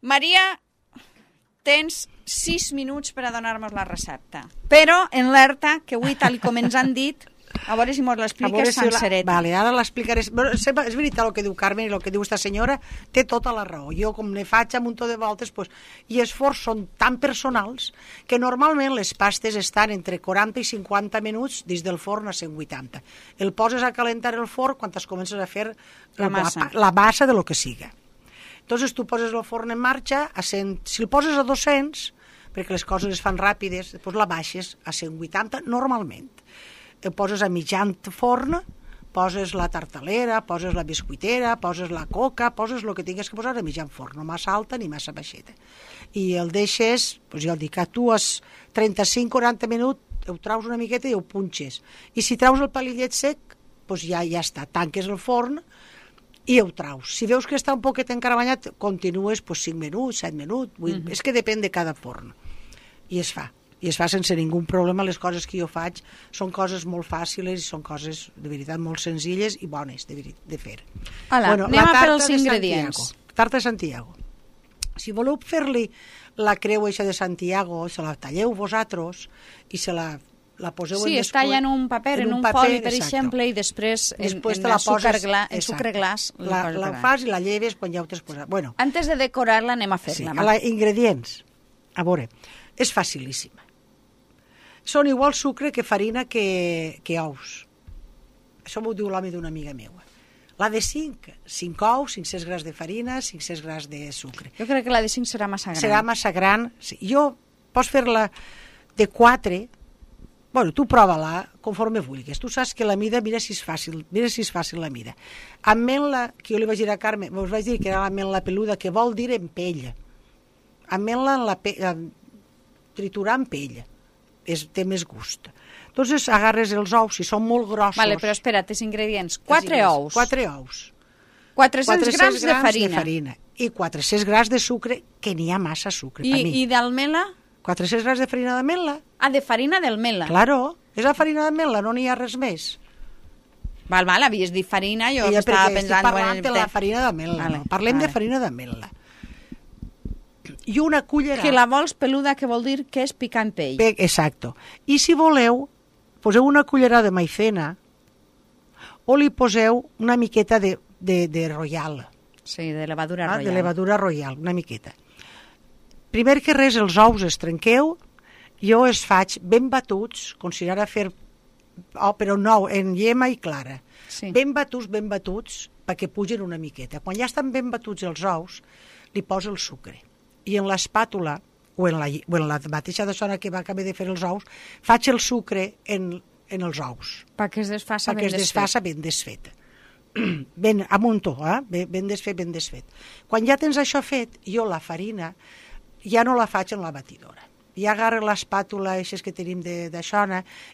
Maria, tens 6 minuts per a donar-nos la recepta. Però en l'alerta, que avui, tal com ens han dit, a veure si mos l'expliques sencereta. Vale, ara l'explicaré. És veritat el que diu Carmen i el que diu esta senyora, té tota la raó. Jo, com ne faig un munt de voltes, pues, i els forns són tan personals que normalment les pastes estan entre 40 i 50 minuts dins del forn a 180. El poses a calentar el forn quan es comences a fer la massa de lo que siga. Entonces tu poses el forn en marxa, si el poses a 200, perquè les coses es fan ràpides, després la baixes a 180 normalment. El poses a mitjan forn, poses la tartalera, poses la biscuitera, poses la coca, poses el que tingues que posar a mitjan forn, no massa alta ni massa baixeta. I el deixes, doncs ja el dic, tu a 35-40 minuts ho traus una miqueta i ho punxes. I si traus el palillet sec, doncs ja està, tanques el forn i ho traus. Si veus que està un poquet encarabanyat, continues 5 minuts, 7 minuts, 8, és que depèn de cada forn. I es fa sense ningú problema. Les coses que jo faig són coses molt fàcils i són coses de veritat molt senzilles i bones de fer. Hola, anem a per els ingredients. Tarta de Santiago. Si voleu fer-li la creu eixa de Santiago, se la talleu vosaltres i se la poseu en es talla en un paper, en un foli, per exemple, i després en sucre glaç la fas i la lleves quan ja ho t'has posat. Bueno, antes de decorar-la anem a fer-la. Ingredients. A veure, és facilíssima. Són igual sucre que farina que ous. Això m'ho diu l'home d'una amiga meua. La de 5 ous, 500 grams de farina, 500 grams de sucre. Jo crec que la de 5 serà massa gran. Serà massa gran. Sí. Jo pots fer-la de 4. Bueno, tu prova-la conforme vulguis. Tu saps que la mida, mira si és fàcil la mida. Ametla, que jo li vaig dir a Carme, us vaig dir que era l'ametla peluda, que vol dir en pell. Ametla triturar en pell. Té més gust. Entonces agarres els ous, si són molt grossos... Vale, però espera't, els ingredients. 4 ous. 4 ous. 400 grams de farina. I 400 grams de sucre, que n'hi ha massa sucre. I d'almela? 400 grams de farina d'ametla. Ah, de farina d'ametla. Claro, és la farina d'ametla, no n'hi ha res més. Val, havies dit farina, jo estava pensant... Estic parlant de la farina d'ametla, no? Parlem de farina d'ametla. I una cullera... Que la vols peluda, que vol dir que és picant pell. Exacto. I si voleu, poseu una cullera de maicena o li poseu una miqueta de royal. Sí, de levadura royal. De levadura royal, una miqueta. Primer que res, els ous es trenqueu, jo els faig ben batuts, com si anara a fer... però no, en llema i clara. Sí. Ben batuts, perquè pugen una miqueta. Quan ja estan ben batuts els ous, li poso el sucre. I en l'espàtula, o en la mateixa dessona que va acabar de fer els ous, faig el sucre en els ous. Perquè es desfassa ben desfet. Ben a muntó, ben desfet. Quan ja tens això fet, jo la farina ja no la faig en la batidora. Ja agarro l'espàtula així que tenim d'això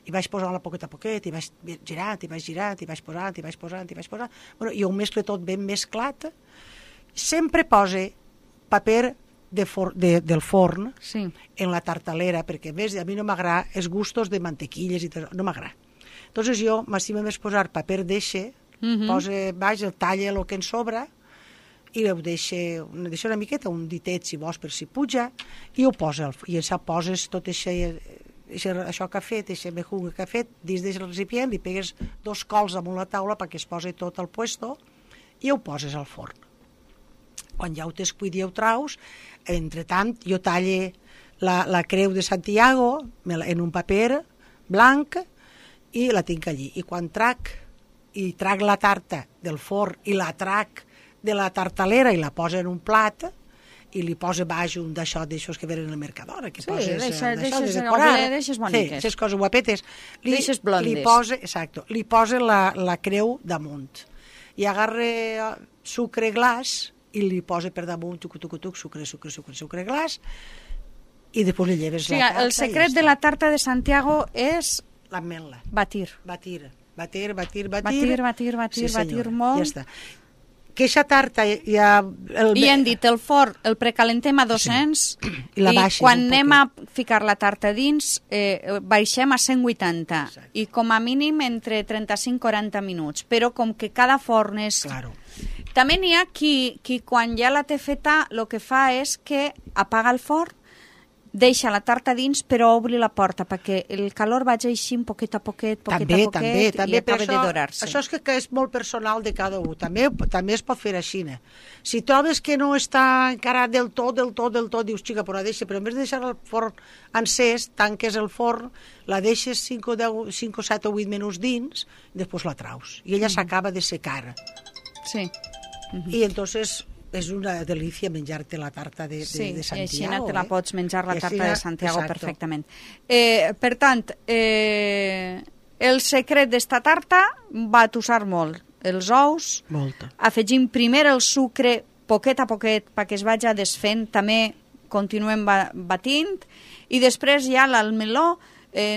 i vaig posant-la poquet a poquet, i vaig girant, i vaig posant. Bueno, i ho mesclo tot ben mesclat. Sempre pose paper del forn en la tartalera, perquè a més a mi no m'agrada els gustos de mantequilles i tot, no m'agrada. Entonces jo m'estima més posar paper d'eixe, posa baix, el talla el que en sobra i ho deixa una miqueta, un ditet si vols per si puja, i ho posa, i això poses tot això que ha fet, això mejunga que ha fet dins del recipient, li pegues 2 cols damunt la taula perquè es posi tot al puesto i ho poses al forn. Quan ja ho t'has cuit i ho traus, entretant jo talle la creu de Santiago en un paper blanc i la tinc allí. I quan trac la tarta del forn i la trac de la tartalera i la posa en un plat i li posa baix un d'aixòs que venen al Mercadona, que poses deixes boniques. Sí, coses guapetes. Deixes blondes. Li posa la creu damunt. I agarra sucre glaç i li posa per damunt sucre glaç i després li lleves la tarta. El secret de la tarta de Santiago és l'ametla. Batir molt. Ja està. Que aquesta tarta ja... I hem dit, el forn el precalentem a 200 i quan anem a ficar la tarta dins baixem a 180 i com a mínim entre 35 i 40 minuts, però com que cada forn és També n'hi ha qui quan ja la té feta el que fa és que apaga el forn, deixa la tarta dins però obri la porta perquè el calor vagi així poquet a poquet també, i acaba de dorar-se. Això és que és molt personal de cada un. També es pot fer així. Si trobes que no està encara del tot, dius, xica, però la deixa, però en vez de deixar el forn encès, tanques el forn, la deixes 5 o 7 o 8 minuts dins i després la traus. I ella s'acaba de secar. Sí. I entonces és una delícia menjar-te la tarta de Santiago. Sí, i així te la pots menjar, la tarta de Santiago, perfectament. Per tant, el secret d'esta tarta va tossar molt. Els ous, afegim primer el sucre poquet a poquet perquè es vagi desfent, també continuem batint, i després ja l'almeló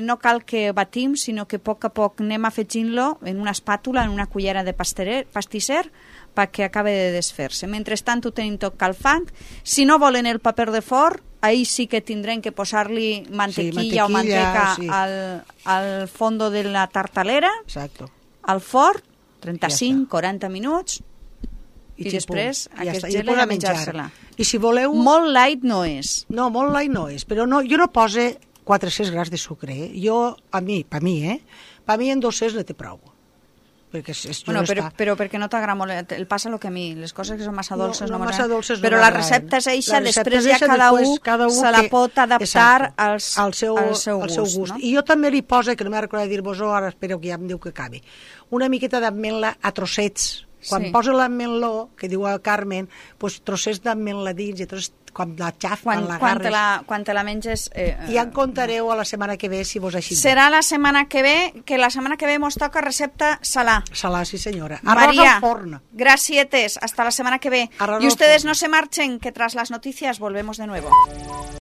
no cal que batim, sinó que a poc anem afegint-lo en una espàtula, en una cullera de pastisser, perquè acabe de desfer-se. Mentrestant ho tenim tot calfant. Si no volen el paper de forn, ahí sí que tindrem que posar-li mantequilla o manteca al fondo de la tartalera, al forn, 35-40 minuts, i després aquest gel a menjar-se-la. I si voleu... Molt light no és. No, molt light no és, però jo no pose 400 grams de sucre. Per mi en 200 ne té prou. Però perquè no t'agrada molt, el passa el que a mi, les coses que són massa dolces no m'agraden, però la recepta és eixa, després ja cada un se la pot adaptar al seu gust. I jo també li poso, que no m'he recordat dir-vos-ho, ara espero que ja em diu que acabi, una miqueta d'ametla a trossets. Quan posa l'ametlló, que diu el Carmen, trossets d'ametla dins, i llavors quan la xaf, quan l'agarres... Quan te la menges... Ja en contareu a la setmana que ve, si vos així... Serà la setmana que ve, que la setmana que ve mos toca recepta salà. Salà, sí senyora. María, al forn. Gracietes, hasta la semana que ve. Y ustedes no se marchen, que tras las noticias volvemos de nuevo.